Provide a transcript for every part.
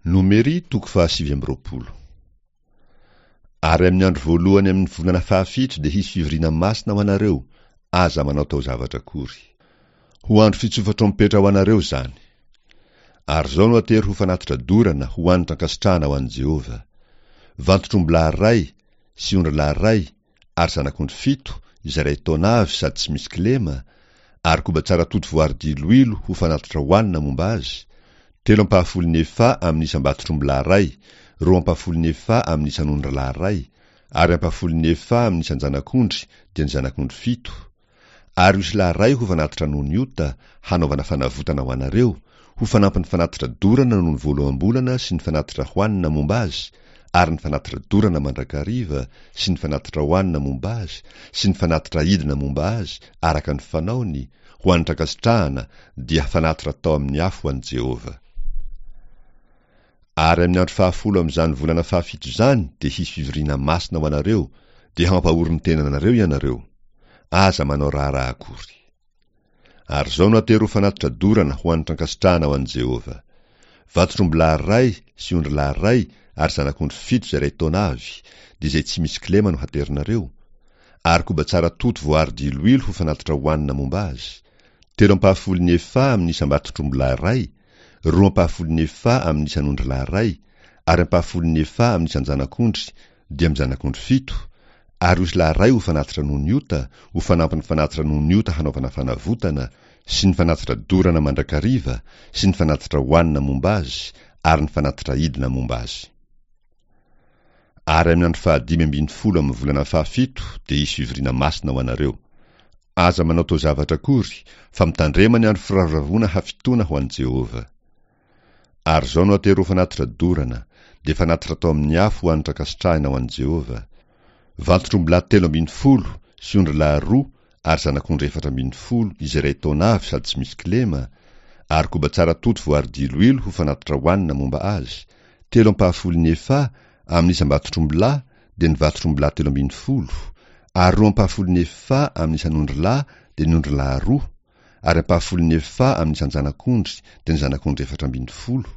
Nomery toko faha-29. Ary amin'ny andro voalohany amin'ny volana fahafito dia hisy fivoriana masina ho anareo, aza manao taozavatra akory. Ho andro fitsofa-trompetra ho anareo izany. Ary izao no atero ho fanatitra dorana ho hanitra ankasitrahana ho an'i Jehovah, Vantotr'ombilahy iray sy ondrilahy iray ary zanak'ondry fito, izay iray taona avy sady tsy misy kilema, ary koba tsara toto voary diloilo ho fanatitra hohanina momba azy, telo ampahafolon'ny efa amin'ny isam-batotr'ombilahy iray, roa ampahafolon'ny efa amin'ny isan'ondrilahy iray, ary ampahafolon'ny efa amin'ny isan-janak'ondry, dia ny zanak'ondry fito, Ary osilahy iray ho fanatitra noho ny ota, hanaovana fanavotana ho anareo, ho fanampin'ny fanatitra dorana noho ny voaloham-bolana sy ny fanatitra hohanina momba azy, ary ny fanatitra dorana mandrakariva sy ny fanatitra hohanina momba azy sy ny fanatitra aidina momba azy araka ny fanaony, ho hanitra ankasitrahana, dia fanatitra atao amin'ny afo ho an'i Jehovah. Ary amin'ny andro fahafolo amin'izany volana fahafito izany dia hisy fivoriana masina ho anareo, dia hampahory ny tenanareo ianareo. Aza manao raharaha akory. Ary izao no atero ho fanatitra dorana ho hanitra ankasitrahana ho an'i Jehovah, Vatotr'ombilahy iray sy ondrilahy iray ary zanak'ondry fito izay iray taona avy, dia izay tsy misy kilema no haterinareo, ary koba tsara toto voaaro diloilo ho fanatitra hohanina momba azy, telo ampahafolon'ny efa amin'ny isam-batotr'ombilahy iray, roa ampahafolon'ny efa amin'ny isan'ondrilahy iray, ary ampahafolon'ny efa amin'ny isan-janak'ondry, dia amin'ny zanak'ondry fito, ary osilahy iray ho fanatitra noho ny ota, ho fanampin'ny fanatitra noho ny ota hanaovana fanavotana, sy ny fanatitra dorana mandrakariva, sy ny fanatitra hohanina momba azy, ary ny fanatitra aidina momba azy. Ary amin'ny andro fahadimy ambin'ny folo amin'ny volana fahafito dia hisy fivoriana masina ho anareo. Aza manao taozavatra akory, fa mitandrema ny andro firavoravoana hafitoana ho an'i Jehovah. Ary izao no atero ho fanatitra dorana, dia fanatitra atao amin'ny afo ho hanitra ankasitrahina ho an'i Jehovah, Vantotr'ombilahy 13 sy ondrilahy roa ary zanak'ondry 14 izay iray taona avy sady tsy misy kilema, ary koba tsara toto voary diloilo ho fanatitra hohanina momba azy, telo ampahafolon'ny efa amin'ny isam-batotr'ombilahy, dia ny vatotr'ombilahy 13, ary roa ampahafolon'ny efa amin'ny isan'ondrilahy, dia ny ondrilahy roa, ary ampahafolon'ny efa amin'ny isan-janak'ondry, dia ny zanak'ondry 14.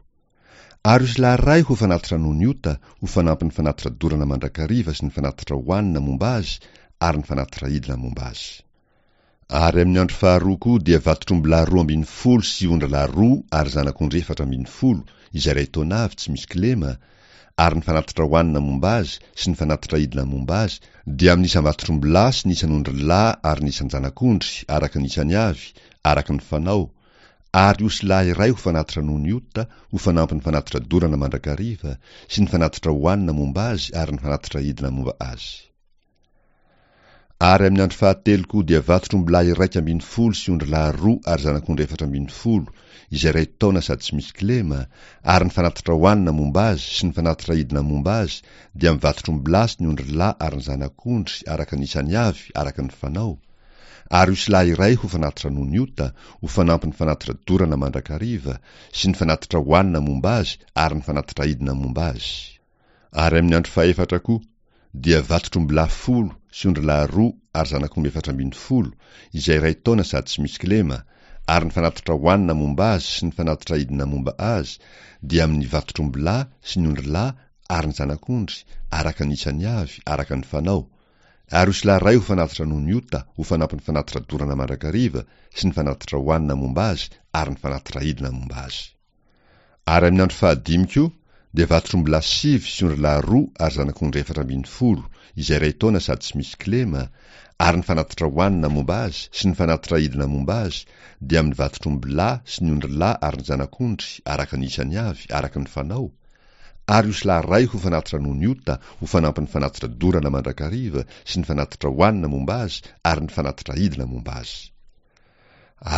Ary osilahy iray ho fanatitra noho ny ota, ho fanampin'ny fanatitra dorana mandrakariva sy ny fanatitra hohanina momba azy ary ny fanatitra aidina momba azy. Ary amin'ny andro faharoa koa dia vatotr'ombilahy 12 sy ondralahy roa ary zanak'ondry 14, izay iray taona avy tsy misy kilema, ary ny fanatitra hohanina momba azy sy ny fanatitra aidina momba azy dia amin'ny isam-batotr'ombilahy sy ny isan'ondrilahy ary ny isan-janak'ondry araka ny isany avy, araka ny fanao, ary osilahy iray ho fanatitra noho ny ota, ho fanampin'ny fanatitra dorana mandrakariva, sy ny fanatitra hohanina momba azy ary ny fanatitra aidina momba azy. Ary amin'ny andro fahatelo koa dia vatotr'ombilahy 11 sy ondrilahy roa ary zanak'ondry 14, izay iray taona sady tsy misy kilema, ary ny fanatitra hohanina momba azy sy ny fanatitra aidina momba azy dia amin'ny vatotr'ombilahy sy ny ondrilahy ary ny zanak'ondry araka ny isany avy araka ny fanao, ary osilahy iray ho fanatitra noho ny ota, ho fanampin'ny fanatitra dorana mandrakariva, sy ny fanatitra hohanina momba azy ary ny fanatitra aidina momba azy. Ary amin'ny andro fahefatra koa, dia vatotr'ombilahy folo sy ondrilahy roa ary zanak'omby 14, izay iray taona sady tsy misy kilema, ary ny fanatitra hohanina momba azy sy ny fanatitra aidina momba azy dia amin'ny vatotr'ombilahy sy ny ondrilahy ary ny zanak'ondry, araka ny isany avy, araka ny fanao, ary osilahy iray ho fanatitra noho ny ota, ho fanampin'ny fanatitra dorana mandrakariva sy ny fanatitra hohanina momba azy ary ny fanatitra aidina momba azy. Ary amin'ny andro fahadimy koa dia vatotr'ombilahy sivy sy ondrilahy roa ary zanak'ondry 14, izay iray taona sady tsy misy kilema, ary ny fanatitra hohanina momba azy sy ny fanatitra aidina momba azy dia amin'ny vatotr'ombilahy sy ny ondrilahy ary ny zanak'ondry araka ny isany avy, araka ny fanao, ary osilahy iray ho fanatitra noho ny ota, ho fanampin'ny fanatitra dorana mandrakariva sy ny fanatitra hohanina momba azy ary ny fanatitra aidina momba azy.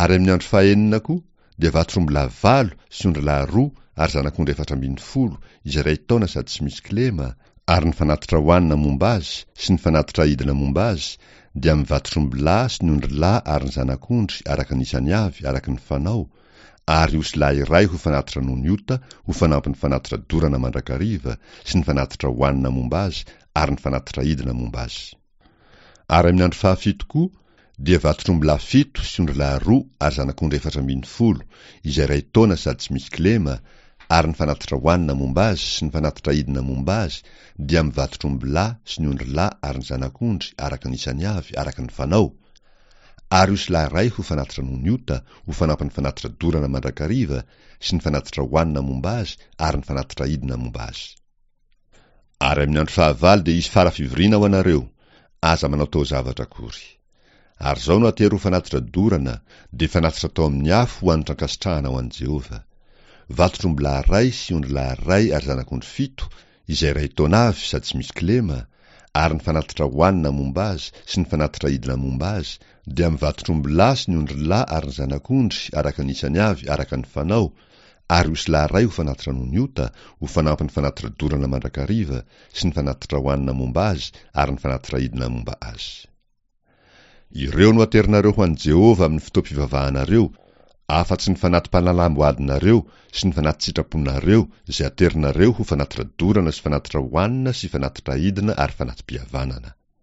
Ary amin'ny andro fahenina koa dia vatotr'ombilahy valo sy ondrilahy roa ary zanak'ondry 14, izay iray taona sady tsy misy kilema, ary ny fanatitra hohanina momba azy sy ny fanatitra aidina momba azy dia amin'ny vatotr'ombilahy sy ny ondrilahy ary ny zanak'ondry araka ny isany avy, araka ny fanao, ary osilahy iray ho fanatitra noho ny ota, ho fanampin'ny fanatitra dorana mandrakariva sy ny fanatitra hohanina momba azy ary ny fanatitra aidina momba azy. Ary amin'ny andro fahafito koa dia vatotr'ombilahy fito sy ondrilahy roa ary zanak'ondry 14, izay iray taona sady tsy misy kilema, Ary ny fanatitra hohanina momba azy sy ny fanatitra aidina momba azy dia amin'ny vatotr'ombilahy sy ny ondrilahy ary ny zanak'ondry araka ny isany avy araka ny fanao, ary osilahy iray ho fanatitra noho ny ota ho fanampin'ny fanatitra dorana mandrakariva sy ny fanatitra hohanina momba azy ary ny fanatitra aidina momba azy. Ary amin'ny andro fahavalo dia hisy fara fivoriana ho anareo, aza manao taozavatra akory. Ary izao no atero ho fanatitra dorana, dia fanatitra atao amin'ny afo ho hanitra ankasitrahana ho an'i Jehovah, Vatotr'ombilahy iray sy ondrilahy iray ary zanak'ondry fito, izay iray taona avy sady tsy misy kilema, ary ny fanatitra hohanina momba azy sy ny fanatitra aidina momba azy, dia amin'ny vatotr'ombilahy sy ny ondrilahy ary ny zanak'ondry araka ny isany avy araka ny fanao, ary osilahy iray ho fanatitra noho ny ota, ho fanampin'ny fanatitra dorana mandrakariva, sy ny fanatitra hohanina momba azy ary ny fanatitra aidina momba azy. Ireo no aterinareo ho an'i Jehovah amin'ny fotoam-pivavahanareo, afa-tsy ny fanati-panalam-boadinareo sy ny fanati-tsitraponareo izay aterinareo ho fanatitra dorana sy fanatitra hohanina sy fanatitra aidina ary fanati-pihavanana.